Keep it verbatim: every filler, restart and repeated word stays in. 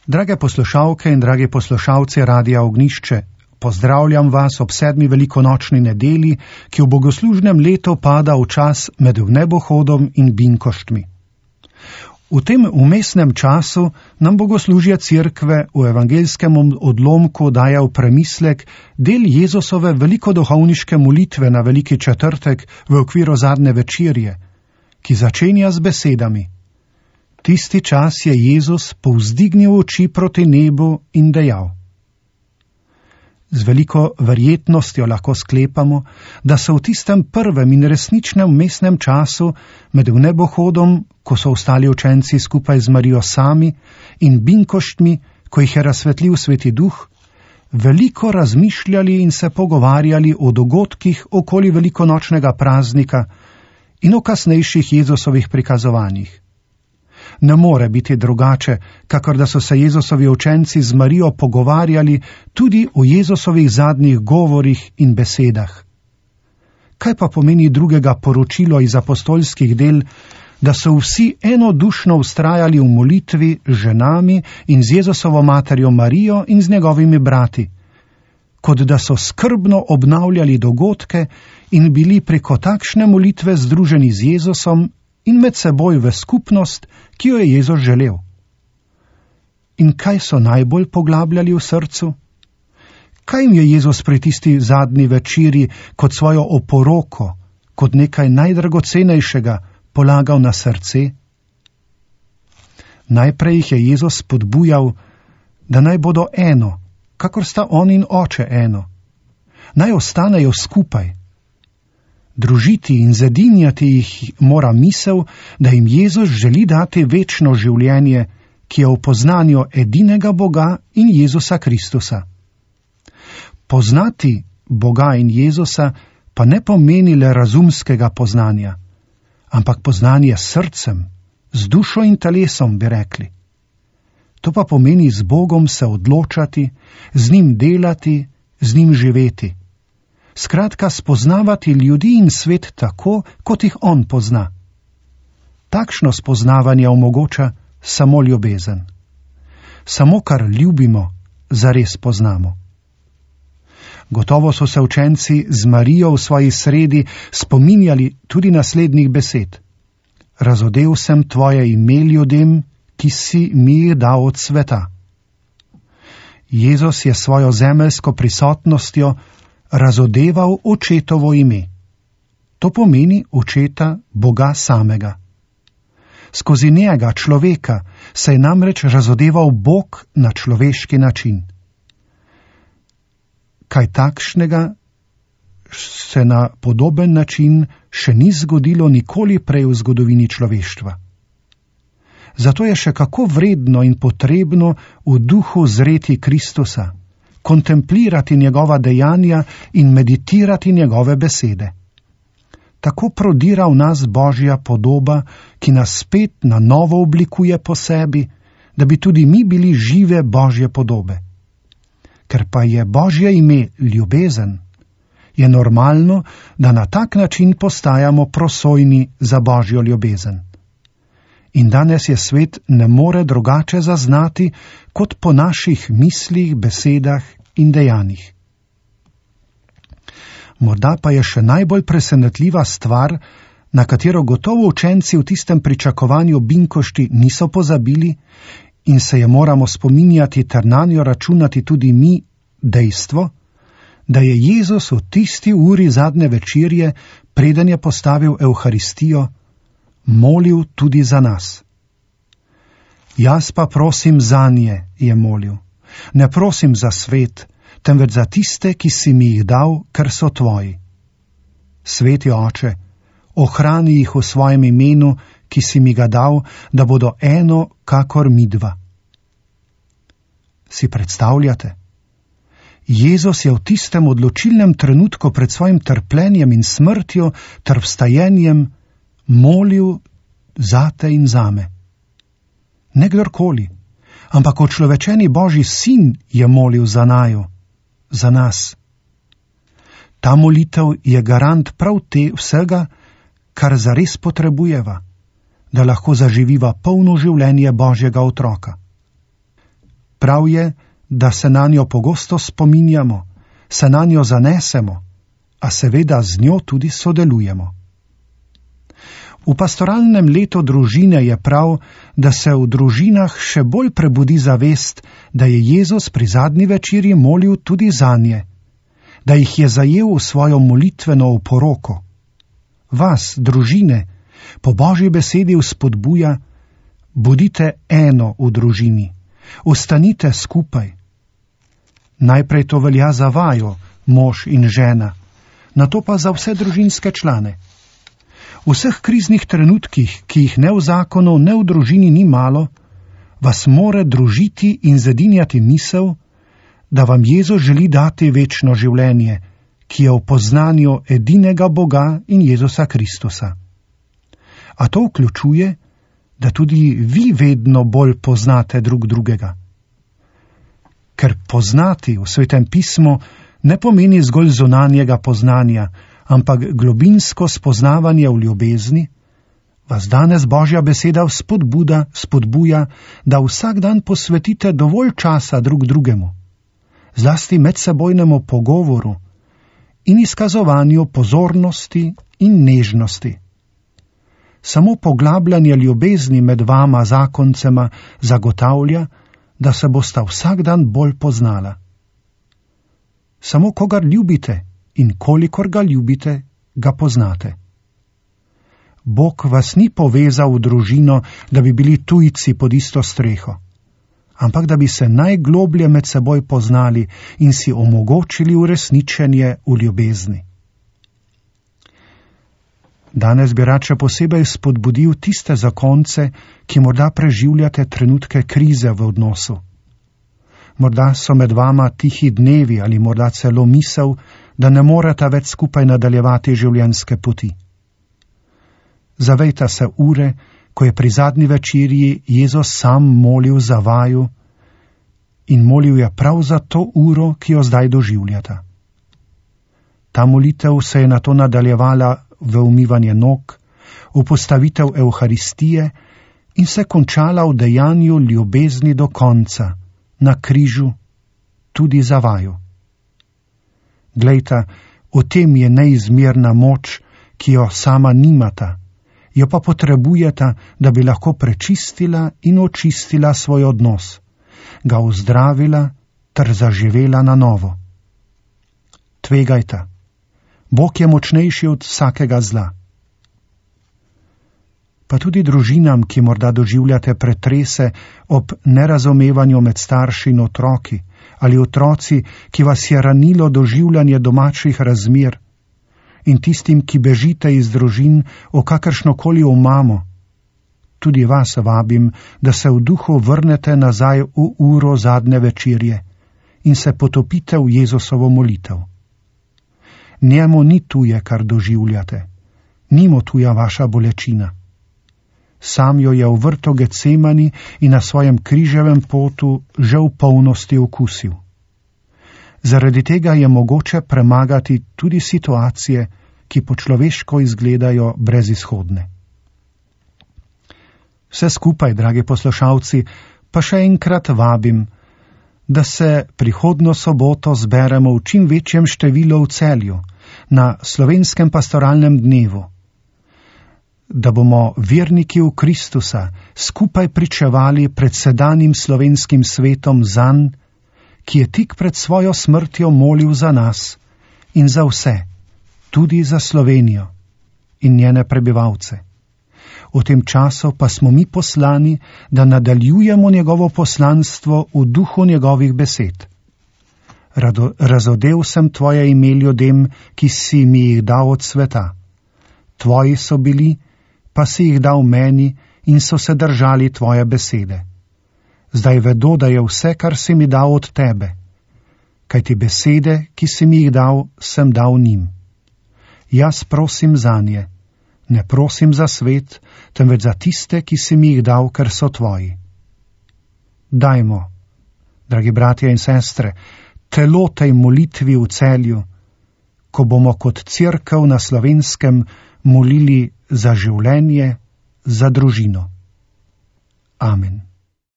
Drage poslušalke in dragi poslušalci Radia Ognjišče, pozdravljam vas ob sedmi velikonočni nedeli, ki v bogoslužnem letu pada v čas med vnebohodom in binkoštmi. V tem vmesnem času nam bogoslužje Cerkve v evangeljskem odlomku daje v premislek del Jezusove velikoduhovniške molitve na Veliki četrtek v okviru zadnje večerje, ki začenja z besedami: Tisti čas je Jezus povzdignil oči proti nebu in dejal. Z veliko verjetnostjo lahko sklepamo, da so v tistem prvem in resničnem vmesnem času med vnebohodom, ko so ostali učenci skupaj z Marijo sami, in binkoštmi, ko jih je razsvetlil Sveti Duh, veliko razmišljali in se pogovarjali o dogodkih okoli velikonočnega praznika in o kasnejših Jezusovih prikazovanjih. Ne more biti drugače, kakor da so se Jezusovi učenci z Marijo pogovarjali tudi o Jezusovih zadnjih govorih in besedah. Kaj pa pomeni drugega poročilo iz apostolskih del, da so vsi enodušno vztrajali v molitvi z ženami in z Jezusovo materjo Marijo in z njegovimi brati, kot da so skrbno obnavljali dogodke in bili preko takšne molitve združeni z Jezusom in med seboj v skupnost, ki jo je Jezus želel. In kaj so najbolj poglabljali v srcu? Kaj jim je Jezus pri tisti zadnji večeri kot svojo oporoko, kot nekaj najdragocenejšega polagal na srce? Najprej jih je Jezus spodbujal, da naj bodo eno, kakor sta on in oče eno. Naj ostanejo skupaj. Družiti in zedinjati jih mora misel, da jim Jezus želi dati večno življenje, ki je v poznanju edinega Boga in Jezusa Kristusa. Poznati Boga in Jezusa pa ne pomeni le razumskega poznanja, ampak poznanje s srcem, z dušo in telesom, bi rekli. To pa pomeni z Bogom se odločati, z njim delati, z njim živeti. Skratka, spoznavati ljudi in svet tako, kot jih on pozna. Takšno spoznavanje omogoča samo ljubezen. Samo kar ljubimo, zares poznamo. Gotovo so se učenci z Marijo v svoji sredi spominjali tudi naslednjih besed. Razodel sem tvoje ime ljudem, ki si mi jih dal od sveta. Jezus je svojo zemeljsko prisotnostjo razodeval očetovo ime. To pomeni očeta Boga samega. Skozi njega, človeka, se je namreč razodeval Bog na človeški način. Kaj takšnega se na podoben način še ni zgodilo nikoli prej v zgodovini človeštva. Zato je še kako vredno in potrebno v duhu zreti Kristusa, kontemplirati njegova dejanja in meditirati njegove besede. Tako prodira v nas Božja podoba, ki nas spet na novo oblikuje po sebi, da bi tudi mi bili žive Božje podobe. Ker pa je Božje ime ljubezen, je normalno, da na tak način postajamo prosojni za Božjo ljubezen. In danes je svet ne more drugače zaznati, kot po naših mislih, besedah in dejanjih. Morda pa je še najbolj presenetljiva stvar, na katero gotovo učenci v tistem pričakovanju binkošti niso pozabili in se je moramo spominjati ter nanjo računati tudi mi, dejstvo, da je Jezus v tisti uri zadnje večerje, preden je postavil Evharistijo, molil tudi za nas. Jaz pa prosim zanje, je molil. Ne prosim za svet, temveč za tiste, ki si mi jih dal, ker so tvoji. Sveti Oče, ohrani jih v svojem imenu, ki si mi ga dal, da bodo eno, kakor midva. Si predstavljate? Jezus je v tistem odločilnem trenutku pred svojim trpljenjem in smrtjo ter vstajenjem molil zate in zame. Ne kdorkoli, ampak očlovečeni Božji sin je molil za naju, za nas. Ta molitev je garant prav te vsega, kar zares potrebujeva, da lahko zaživiva polno življenje Božjega otroka. Prav je, da se na njo pogosto spominjamo, se na njo zanesemo, a seveda z njo tudi sodelujemo. V pastoralnem letu družine je prav, da se v družinah še bolj prebudi zavest, da je Jezus pri zadnji večerji molil tudi zanje, da jih je zajel v svojo molitveno oporoko. Vas, družine, po Božji besedi vzpodbuja: bodite eno v družini, ostanite skupaj. Najprej to velja za vaju, mož in žena, nato pa za vse družinske člane. V vseh kriznih trenutkih, ki jih ne v zakonu, ne v družini ni malo, vas more družiti in zedinjati misel, da vam Jezus želi dati večno življenje, ki je v poznanju edinega Boga in Jezusa Kristusa. A to vključuje, da tudi vi vedno bolj poznate drug drugega. Ker poznati v Svetem pismu ne pomeni zgolj zunanjega poznanja, ampak globinsko spoznavanje v ljubezni, vas danes Božja beseda spodbuda, spodbuja, da vsak dan posvetite dovolj časa drug drugemu, zlasti medsebojnemu pogovoru in izkazovanju pozornosti in nežnosti. Samo poglabljanje ljubezni med vama zakoncema zagotavlja, da se bosta vsak dan bolj poznala. Samo kogar ljubite in kolikor ga ljubite, ga poznate. Bog vas ni povezal v družino, da bi bili tujci pod isto streho, ampak da bi se najgloblje med seboj poznali in si omogočili uresničenje v ljubezni. Danes bi rad še posebej spodbudil tiste zakonce, ki morda preživljate trenutke krize v odnosu. Morda so med vama tihi dnevi ali morda celo misel, da ne morete več skupaj nadaljevati življenjske poti. Zavejte se ure, ko je pri zadnji večerji Jezus sam molil za vaju in molil je prav za to uro, ki jo zdaj doživljata. Ta molitev se je nato nadaljevala v umivanje nog, v postavitev Evharistije in se končala v dejanju ljubezni do konca, na križu, tudi za vaju. Glejte, v tem je neizmerna moč, ki jo sama nimata, jo pa potrebujeta, da bi lahko prečistila in očistila svoj odnos, ga ozdravila ter zaživela na novo. Tvegajta. Bog je močnejši od vsakega zla. Pa tudi družinam, ki morda doživljate pretrese ob nerazumevanju med starši in otroki, ali otroci, ki vas je ranilo doživljanje domačih razmer, in tistim, ki bežite iz družin o kakršnokoli omamo, tudi vas vabim, da se v duhu vrnete nazaj v uro zadnje večerje in se potopite v Jezusovo molitev. Njemu ni tuje, kar doživljate, ni mu tuja vaša bolečina. Sam jo je v vrtu Getsemani in na svojem križevem potu že v polnosti okusil. Zaradi tega je mogoče premagati tudi situacije, ki po človeško izgledajo brezizhodne. Vse skupaj, dragi poslušalci, pa še enkrat vabim, da se prihodnjo soboto zberemo v čim večjem številu v Celju, na slovenskem pastoralnem dnevu, da bomo verniki v Kristusa skupaj pričevali pred sedanjim slovenskim svetom zanj, ki je tik pred svojo smrtjo molil za nas in za vse, tudi za Slovenijo in njene prebivalce. V tem času pa smo mi poslani, da nadaljujemo njegovo poslanstvo v duhu njegovih besed. Rado, razodel sem tvoje ime ljudem, ki si mi jih dal od sveta. Tvoji so bili, pa si jih dal meni in so se držali tvoje besede. Zdaj vedo, da je vse, kar si mi dal od tebe, kajti besede, ki si mi jih dal, sem dal njim. Jaz prosim zanje, ne prosim za svet, temveč za tiste, ki si mi jih dal, ker so tvoji. Dajmo, dragi bratje in sestre, telo tej molitvi v Celju, ko bomo kot cerkev na Slovenskem molili za življenje, za družino. Amen.